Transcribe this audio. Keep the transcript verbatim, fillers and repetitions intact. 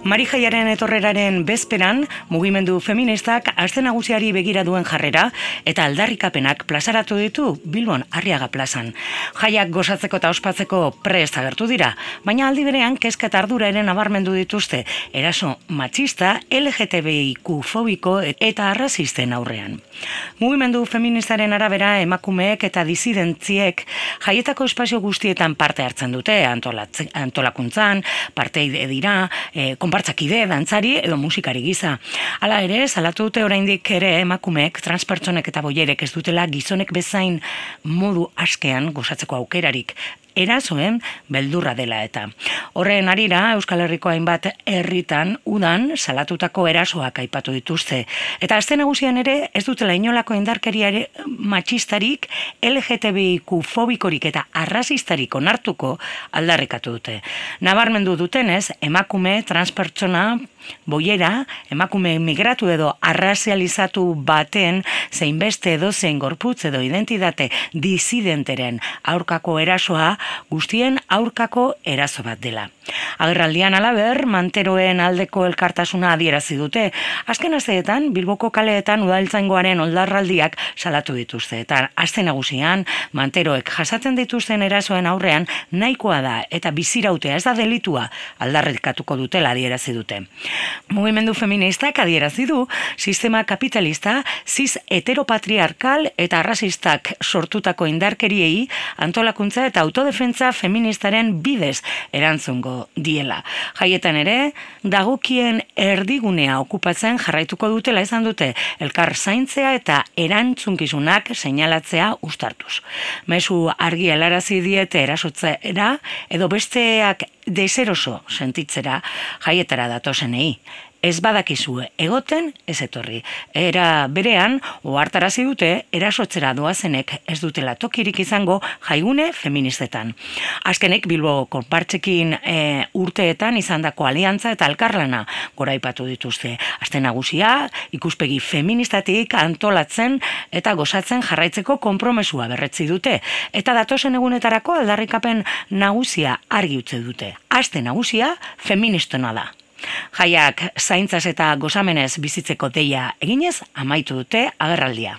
Marijaiaren etorreraren bezperan, mugimendu feministak aste nagusiari begira duen jarrera eta aldarrikapenak plazaratu ditu Bilbon Arriaga plazan. Jaiak gozatzeko eta ospatzeko prest agertu dira, baina aldi berean kezka eta ardura ere nabarmendu dituzte eraso matxista, L G T B I Q fobiko eta arrazisten aurrean. Mugimendu feministaren arabera emakumeek eta disidentziek jaietako espazio guztietan parte hartzen dute, antolakuntzan, parteide dira, e, konpartzakide, dantzari edo musikari gisa. Hala ere, salatu dute oraindik ere emakumeek, transpertsonek eta boierek ez dutela gizonek bezain modu askean gozatzeko aukerarik. Erasoen beldurra dela eta. Horren harira, Euskal Herriko hainbat herritan udan salatutako erasoak aipatu dituzte. Eta aste nagusian ere ez dutela inolako indarkeriare matxistarik, L G T B I Q fobikorik eta arrazistarik onartuko aldarrikatu dute. Nabarmendu dutenez, emakume, transpertsona, boiera, emakume migratu edo arrazializatu baten zein beste edozein gorputz edo identitate disidenteren aurkako erasoa guztien aurkako eraso bat dela. Agerraldian halaber, manteroen aldeko elkartasuna adierazi dute. Azken asteetan, Bilboko kaleetan udaltzaingoaren oldarraldiak salatu dituzte. Eta aste nagusian, manteroek jasaten dituzten erasoen aurrean nahikoa da eta bizirautea ez da delitua aldarrikatuko dutela adierazi dute. Mugimendu feministak adierazi du sistema kapitalista, cis heteropatriarkal eta arrazistak sortutako indarkeriei antolakuntza eta autodefentza feministaren bidez erantzungo diela. Jaietan ere, dagokien erdigunea okupatzen jarraituko dutela izan dute elkar zaintzea eta erantzunkizunak seinalatzea uztartuz. Mezu argi helarazi diete erasotzera edo besteak deseroso sentitzera jaietara datozenei. Ez badakizue egoten ez etorri. Era berean, ohartarazi dute erasotzera doazenek ez dutela tokirik izango jaigune feministetan. Azkenek Bilbo konpartzekin e, urteetan izandako aliantza eta elkarlana goraipatu dituzte. Aste nagusia ikuspegi feministatik antolatzen eta gozatzen jarraitzeko konpromesua berretzi dute. Eta datozen egunetarako aldarrikapen nagusia argi utzi dute. Aste nagusia feministona da. Jaiak zaintzaz eta gozamenez bizitzeko deia eginez amaitu dute agerraldia.